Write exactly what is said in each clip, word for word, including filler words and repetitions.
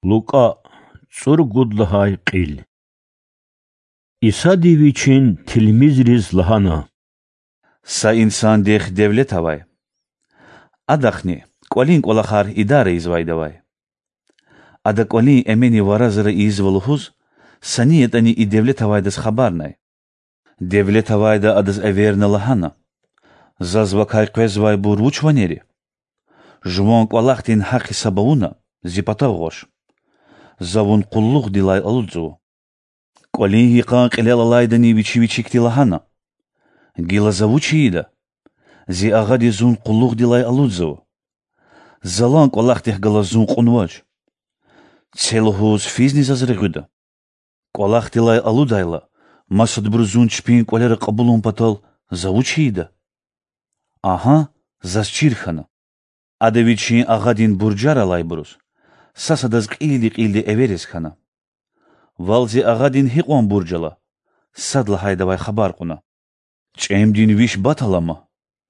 Лукӏа, цӏуругуд лагьай кьил. Исади Вичин тилмизриз лагьана: Са инсандихъ девлет авай. Адахъни кӏвалин кӏвалахар идара ийизвайди авай. Ада кӏвалин эменни вара-зара ийизва лугьуз, са ни ятӏани и девлет авайдаз хабарнай. Девлет авайда адаз эверна лагьана: Заз вакай къвезвайбур вуч ванер я? Жуван кӏвалахдин гьахъ-гьисаб авуна, зи патав гъваш. За вун къуллугъдилай алудзава. Кӏвалин йикъан кьилел алайдани вичи вичикди лагьана: Гила за вуч ийида? Зи агъади зун къуллугъдилай алудзава. Залан кӏвалахдихъ галаз зун кьунвач. Це лугьуз физни заз регъуьда? Кӏвалахдилай алудайла, масадбуруз зун чпин кӏвалера кьабулун патал за вуч ийида? Агьа, заз чир хьана. Ада вичин агъадин буржар алайбуруз, сад-садаз кьилди-кьилди эвериз хьана. Вал зи агъадин гьикьван бурж ала? Сад лагьайдавай хабар кьуна. ЧӀемдин виш бат алама,—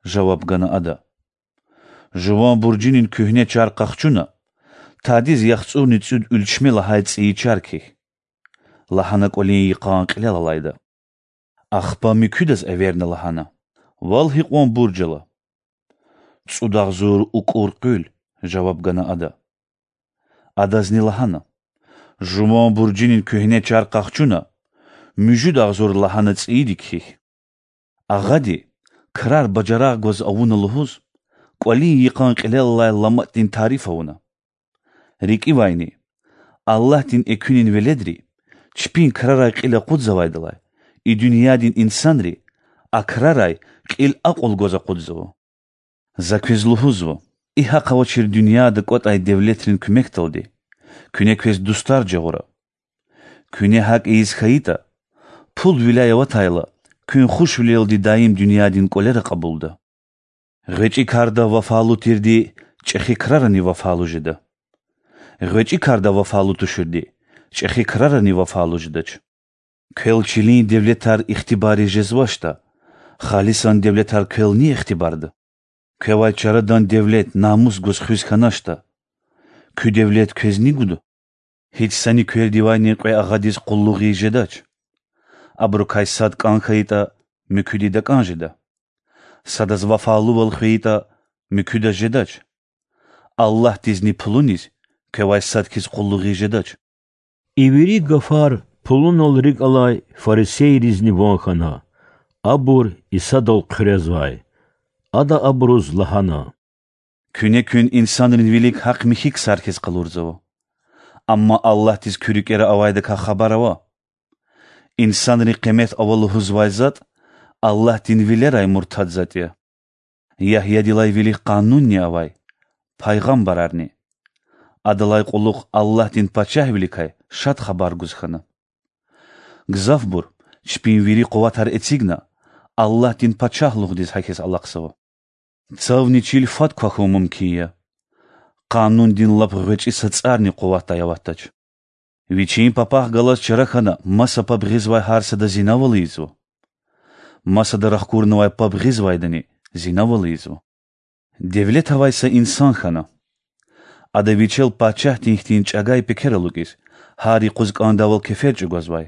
жаваб гана ада. Жуван буржунин куьгьне чар къахчуна, тадиз яхцӀурни цӀуд уьлчме лагьай цӀийи чар кхьихь,— лагьана кӀвалин йикъан кьилел алайда. Ахпа муькуьдаз эверна лагьана: Вал гьикьван бурж ала? ЦӀуд агъзур укӀур къуьл,— жаваб гана ада. Адазни лагьана: Жуван буржунин куьгьне чар къахчуна, муьжуьд агъзур лагьана цӀийиди кхьихь. Агъади, крар бажарагъ гваз авуна лугьуз, кӀвалин йикъан кьилел алай ламатӀдин тариф авуна. РикӀивайни, Аллагьдин экуьнин веледри, чпин крарай кьил акъудзавайдалай, и дуьньядин инсанри а крарай кьил акьул гваз акъудзава. За квез лугьузва: и гьахъ авачир дуьньяда кӀватӀай девлетрин куьмекдалди куьне квез дустар жагъура. Куьне гьакӀ ийиз хьайитӀа, пул виляй аватайла, куьн хушвилелди даим дуьньядин кӀвалера кьабулда. ГъвечӀи карда вафалу тирди чӀехи крарани вафалу жеда. ГъвечӀи карда вафалу туширди чӀехи крарани вафалу жедач. Квел чилин девлетар ихтибарриз жезвачтӀа, халисан девлетар квел ни ихтибарда? Квевай чарадан девлет намус гваз хуьз хьаначтӀа, куь девлет квез ни гуда? Гьич сани квелдивайни кьве агъадиз къуллугъ ийиз жедач. Абурукай сад кӀан хьайитӀа, муькуьди дакӀан жеда. Садаз вафалувал хвейитӀа, муькуьдаз жедач. Аллагьдизни пулуниз квевай сад хьиз къуллугъ ийиз жедач. И вири гафар пулунал рикӀ алай фарисейризни ван хьана, абур Исадал хъуьрезвай. Ада абуруз лагьана: Куьне куьн инсанрин вилик гьахъ-михьи ксар хьиз къалурзава. Амма Аллагьдиз куь рикӀера авайдакай хабар ава. Инсанри къимет ава лугьузвай затӀ Аллагьдин вилерай муртад затӀ я. Ягьядилай вилик къанунни авай, пайгъамбарарни. Адалай кьулухъ Аллагьдин пачагьвиликай шад хабар гуз хьана. Гзафбур, чпин вири къуватар эцигна, Аллагьдин Пачагьлугъдиз гьахьиз алахъзава. Цавни чил фад квахьун мумкин я. Къанундин лап гъвечӀи са цӀарни къуватдай аватдач. Вичин папахъ галаз чара хьана маса паб гъизвай гьар сада зинавал ийизва. Масада рахкурнавай паб гъизвайдани зинавал ийизва. Девлет авай са инсан хьана. Ада вичел пачагьдин хьтин чӀагай пекер алукӀиз, гьар юкъуз кӀандайвал кефер чӀугвазвай.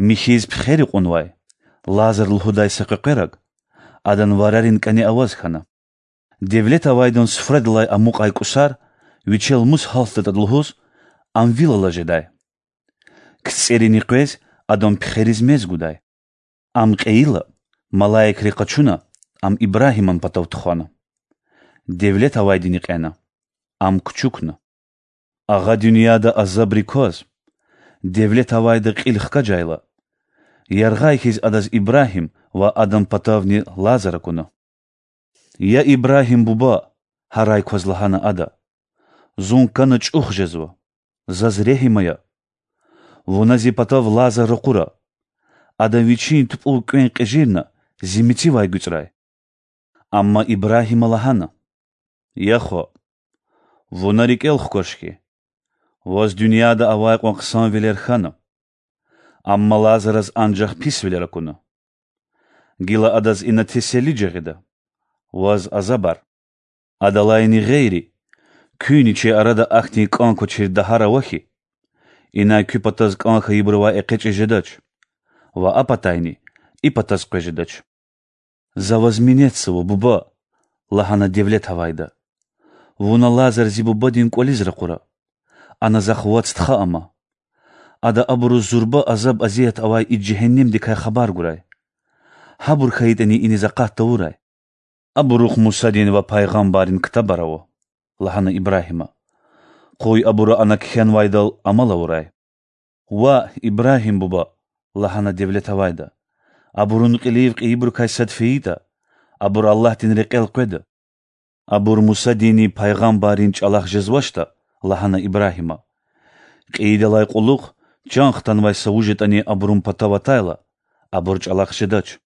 Михьиз пхери кьунвай, Лазар лугьудай са къекъвераг, адан варарин кӀане аваз хьана. Девлет авайдан суфрадилай амукьай кӀусар вичел мус гьалтдатӀа лугьуз, ам вил ала жедай. КцӀерини къвез, адан пхериз мез гудай. Ам кьейила, малаикри къачуна, ам Ибрагьиман патав тухвана. Девлет авайдини кьена, ам кучукна. Агъа дуьньяда азабрик кваз, девлет авайда кьил хкажайла, яргъай хьиз адаз Ибрагьим ва адан патавни Лазар акуна. Я Ибрагьим буба,— гьарай кваз лагьана ада,— зун кана чӀух жезва, заз регьим ая. Вуна зи патав Лазар ракъура. Ада вичин тупӀув кӀвенкӀ кьежирна, зи мецивай гуьцӀрай. Амма Ибрагьима лагьана: Я хва, вуна рикӀел хкваш хьи, ваз дуьньяда авай кьван хъсанвилер хьана. Амма Лазараз анжах писвилер акуна. Гила адаз ина теселли жагъида, ваз азабар. Адалайни гъейри, Куьнни чи арада ахьтин кӀан квачир дагьар ава хьи, инай куь патаз кӀан хьайибурувай экъечӀиз жедач ва а патайни и патаз къвез жедач. За ваз минетзава, буба,– лагьана девлет авайда. Вуна Лазар зи бубадин кӀвализ ракъура. Ана захъ вад стха ама. Ада абуруз зурба азаб-азият авай и жегьеннемдикай хабар гурай. Гьабур хьайитӀани иниз акъат тавурай. Абурухъ Мусадин ва пайгъамбаррин ктабар ава,– лагьана Ибрагьима. Къуй абуру ана кхьенвайдал амал авурай. Ваъ, Ибрагьим буба,– лагьана девлет авайда. Абурун кьилив кьейибурукай сад фейитӀа, абур Аллагьдин рекьел къведа. Абур Мусадинни пайгъамбаррин чӀалахъ жезвачтӀа,– лагьана Ибрагьима. Кьейидалай кьулухъ чан хтанвай са вуж ятӀани абурун патав атайла, абур чӀалахъ жедач.